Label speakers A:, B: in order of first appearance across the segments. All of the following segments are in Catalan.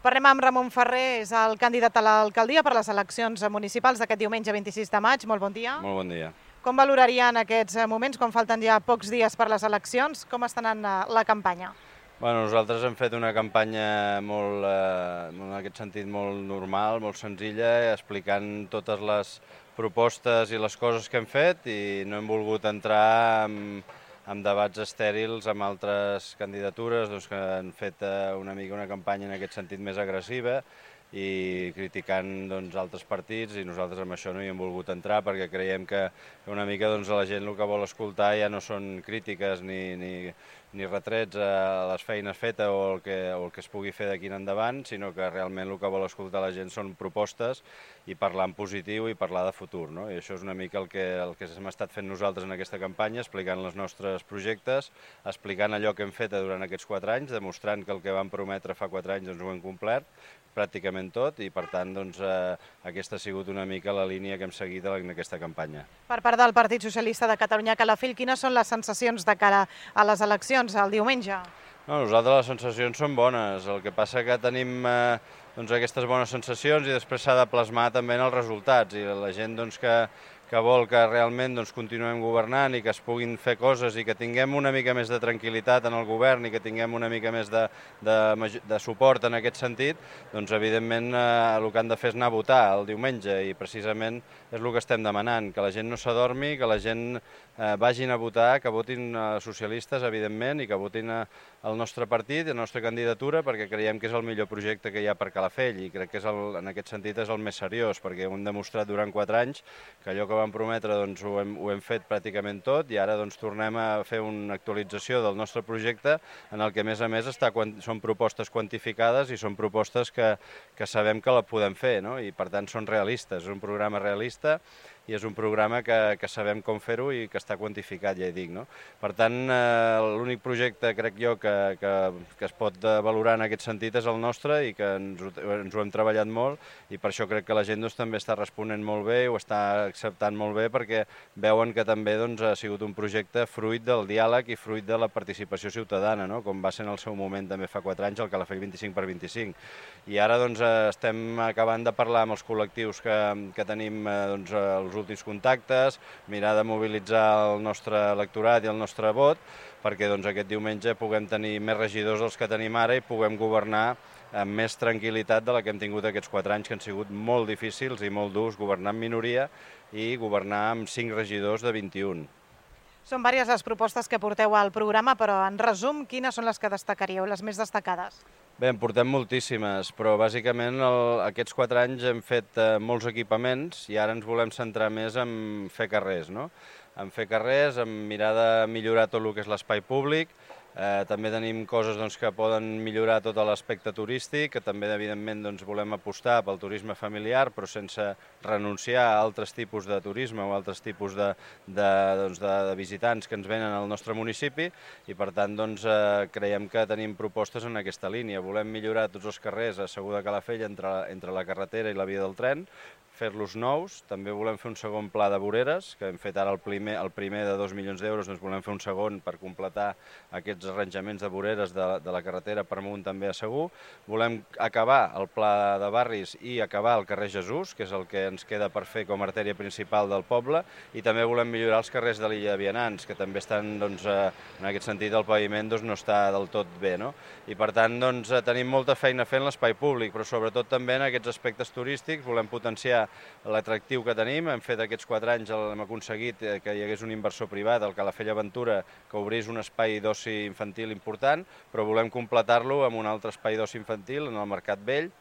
A: Parlem amb Ramon Ferrer, és el candidat a l'alcaldia per les eleccions municipals d'aquest diumenge 26 de maig. Molt bon dia.
B: Molt bon dia.
A: Com valorarien aquests moments, quan falten ja pocs dies per les eleccions? Com està anant la campanya?
B: Nosaltres hem fet una campanya en aquest sentit molt normal, molt senzilla, explicant totes les propostes i les coses que hem fet i no hem volgut entrar en debats estèrils amb altres candidatures que han fet una mica una campanya en aquest sentit més agressiva i criticant altres partits, i nosaltres amb això no hi hem volgut entrar perquè creiem que una mica la gent el que vol escoltar ja no són crítiques ni retrets a les feines fetes o el que es pugui fer d'aquí en endavant, sinó que realment el que vol escoltar la gent són propostes i parlar en positiu i parlar de futur, no? I això és una mica el que hem estat fent nosaltres en aquesta campanya, explicant els nostres projectes, explicant allò que hem fet durant aquests 4 anys, demostrant que el que vam prometre fa 4 anys ho hem complert, pràcticament tot, i per tant aquesta ha sigut una mica la línia que hem seguit en aquesta campanya.
A: Per part del Partit Socialista de Catalunya, Calafell, quines són les sensacions de cara a les eleccions el diumenge?
B: Nosaltres les sensacions són bones, el que passa que tenim aquestes bones sensacions i després s'ha de plasmar també en els resultats, i la gent que vol que realment continuem governant i que es puguin fer coses i que tinguem una mica més de tranquil·litat en el govern i que tinguem una mica més de suport en aquest sentit, evidentment el que han de fer és anar a votar el diumenge, i precisament és el que estem demanant, que la gent no s'adormi, que la gent vagin a votar, que votin socialistes, evidentment, i que votin el nostre partit i la nostra candidatura, perquè creiem que és el millor projecte que hi ha per Calafell, i crec que en aquest sentit és el més seriós, perquè ho hem demostrat durant 4 anys, que allò que vam prometre ho hem fet pràcticament tot, i ara tornem a fer una actualització del nostre projecte en el que a més són propostes quantificades i són propostes que sabem que la podem fer, no? I per tant són realistes, és un programa realista i és un programa que sabem com fer-ho i que està quantificat, ja hi dic, no? Per tant, l'únic projecte, crec jo, que es pot valorar en aquest sentit és el nostre, i que ens ho hem treballat molt, i per això crec que la gent també està responent molt bé, ho està acceptant molt bé, perquè veuen que també ha sigut un projecte fruit del diàleg i fruit de la participació ciutadana, no? Com va ser en el seu moment també fa 4 anys el Calafell 25x25. I ara estem acabant de parlar amb els col·lectius que tenim els últims contactes, mirar de mobilitzar el nostre electorat i el nostre vot, perquè aquest diumenge puguem tenir més regidors dels que tenim ara i puguem governar amb més tranquil·litat de la que hem tingut aquests 4 anys, que han sigut molt difícils i molt durs, governar en minoria i governar amb 5 regidors de 21.
A: Són diverses les propostes que porteu al programa, però en resum, quines són les que destacaríeu, les més destacades?
B: Bé, en portem moltíssimes, però bàsicament aquests 4 anys hem fet molts equipaments i ara ens volem centrar més en fer carrers, no? En fer carrers, en mirar de millorar tot el que és l'espai públic. També tenim coses que poden millorar tot l'aspecte turístic, que també evidentment volem apostar pel turisme familiar, però sense renunciar a altres tipus de turisme o altres tipus de visitants que ens venen al nostre municipi, i per tant creiem que tenim propostes en aquesta línia. Volem millorar tots els carrers a Segur de Calafell entre la carretera i la via del tren, fer-los nous. També volem fer un segon pla de voreres, que hem fet ara el primer de 2 milions d'euros, volem fer un segon per completar aquests arranjaments de voreres de la carretera per amunt també a Segur. Volem acabar el pla de barris i acabar el carrer Jesús, que és el que ens queda per fer com a artèria principal del poble, i també volem millorar els carrers de l'illa de Vianants, que també estan, en aquest sentit, el paviment no està del tot bé, no? I per tant tenim molta feina fent l'espai públic, però sobretot també en aquests aspectes turístics volem potenciar l'atractiu que tenim. Hem fet aquests 4 anys, hem aconseguit que hi hagués un inversor privat, el Calafell Aventura, que obrís un espai d'oci infantil important, però volem completar-lo amb un altre espai d'oci infantil en el Mercat Vell,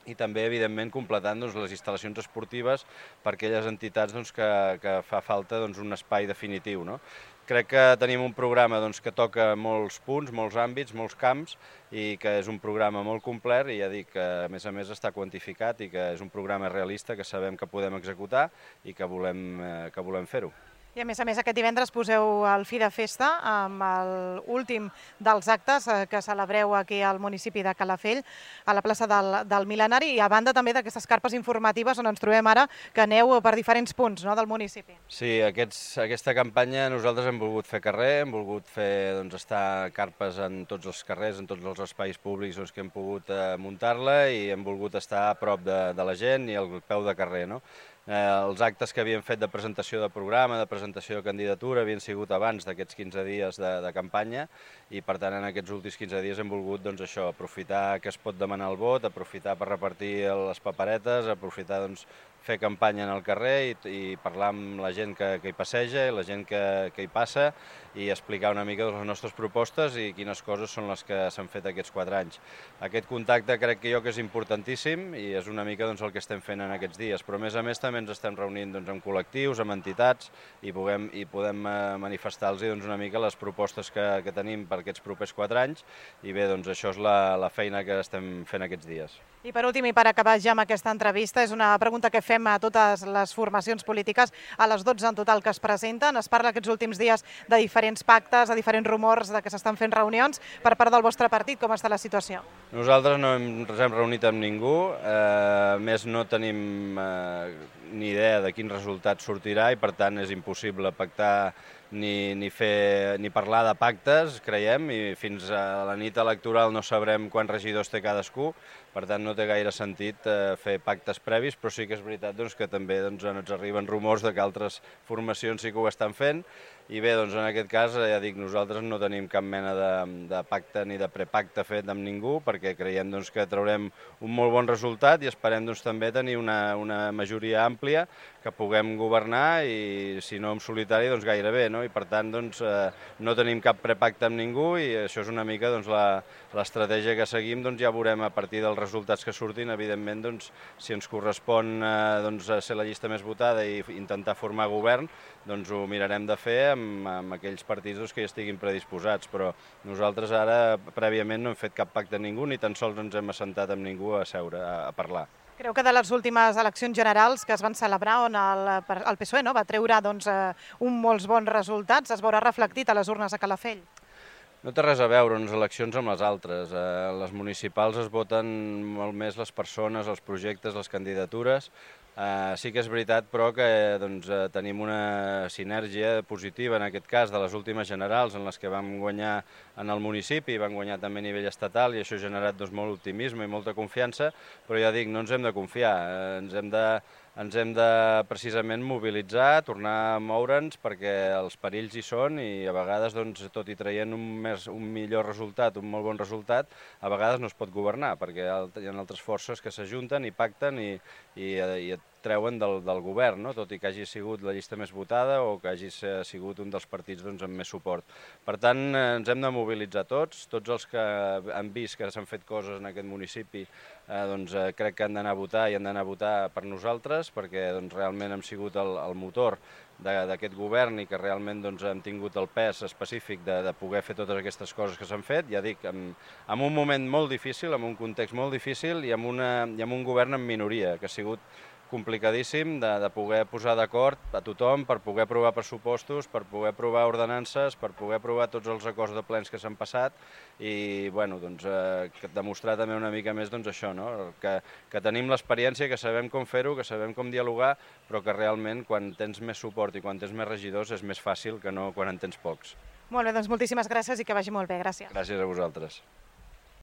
B: i també, evidentment, completant les instal·lacions esportives per aquelles entitats que fa falta un espai definitiu, no? Crec que tenim un programa que toca molts punts, molts àmbits, molts camps, i que és un programa molt complet, i ja dic que a més està quantificat i que és un programa realista que sabem que podem executar i que volem fer-ho.
A: I a més, aquest divendres poseu el fi de festa amb l'últim dels actes que celebreu aquí al municipi de Calafell, a la plaça del Mil·lenari, i a banda també d'aquestes carpes informatives on ens trobem ara, que aneu per diferents punts del municipi.
B: Sí, aquesta campanya nosaltres hem volgut fer carrer, hem volgut fer estar carpes en tots els carrers, en tots els espais públics que hem pogut muntar-la, i hem volgut estar a prop de la gent i al peu de carrer, no? Els actes que havíem fet de presentació de programa, de presentació de candidatura, havien sigut abans d'aquests 15 dies de campanya, i per tant en aquests últims 15 dies hem volgut aprofitar que es pot demanar el vot, aprofitar per repartir les paperetes, aprofitar fer campanya en el carrer i parlar amb la gent que hi passeja i la gent que hi passa, i explicar una mica les nostres propostes i quines coses són les que s'han fet aquests 4 anys. Aquest contacte crec que és importantíssim i és una mica el que estem fent en aquests dies, però a més també ens estem reunint amb col·lectius, amb entitats, i podem manifestar-los una mica les propostes que tenim per aquests propers 4 anys, i bé, això és la feina que estem fent aquests dies.
A: I per últim, i per acabar ja amb aquesta entrevista, és una pregunta que fem a totes les formacions polítiques, a les 12 en total que es presenten. Es parla aquests últims dies de diferents pactes, de diferents rumors, de que s'estan fent reunions. Per part del vostre partit, com està la situació?
B: Nosaltres no ens hem reunit amb ningú, més no tenim ni idea de quin resultat sortirà, i per tant és impossible pactar ni parlar de pactes, creiem, i fins a la nit electoral no sabrem quants regidors té cadascú, per tant no té gaire sentit fer pactes previs, però sí que és veritat que també ens arriben rumors de que altres formacions sí que ho estan fent, i bé, en aquest cas, ja dic, nosaltres no tenim cap mena de pacte ni de prepacte fet amb ningú, perquè creiem que traurem un molt bon resultat i esperem també tenir una majoria àmplia que puguem governar, i si no en solitari, gairebé, no? I per tant no tenim cap prepacte amb ningú, i això és una mica l'estratègia que seguim. Ja veurem a partir dels resultats que surtin, evidentment, si ens correspon ser la llista més votada i intentar formar govern, ho mirarem de fer amb aquells partits que hi estiguin predisposats, però nosaltres ara prèviament no hem fet cap pacte amb ningú, ni tan sols ens hem assentat amb ningú a seure, a parlar.
A: Creu que de les últimes eleccions generals que es van celebrar, on el PSOE va treure molts bons resultats, es veurà reflectit a les urnes a Calafell?
B: No té res a veure unes eleccions amb les altres. Les municipals es voten molt més les persones, els projectes, les candidatures. Sí que és veritat, però, que tenim una sinergia positiva, en aquest cas, de les últimes generals, en les que vam guanyar en el municipi, vam guanyar també a nivell estatal, i això ha generat molt optimisme i molta confiança, però ja dic, no ens hem de confiar, ens hem de precisament mobilitzar, tornar a moure'ns, perquè els perills hi són, i a vegades, tot i traient un millor resultat, un molt bon resultat, a vegades no es pot governar, perquè hi ha altres forces que s'ajunten i pacten i et treuen del govern, tot i que hagi sigut la llista més votada o que hagi sigut un dels partits amb més suport. Per tant, ens hem de mobilitzar tots els que han vist que s'han fet coses en aquest municipi, crec que han d'anar a votar, i han d'anar a votar per nosaltres, perquè realment hem sigut el motor d'aquest govern, i que realment hem tingut el pes específic de poder fer totes aquestes coses que s'han fet, ja dic, en un moment molt difícil, en un context molt difícil, i amb un govern en minoria, que ha sigut complicadíssim de poder posar d'acord a tothom per poder aprovar pressupostos, per poder aprovar ordenances, per poder aprovar tots els acords de plens que s'han passat, i demostrar també una mica més això, que tenim l'experiència, que sabem com fer-ho, que sabem com dialogar, però que realment quan tens més suport i quan tens més regidors és més fàcil que no quan en tens pocs.
A: Molt bé, moltíssimes gràcies i que vagi molt bé. Gràcies.
B: Gràcies a vosaltres.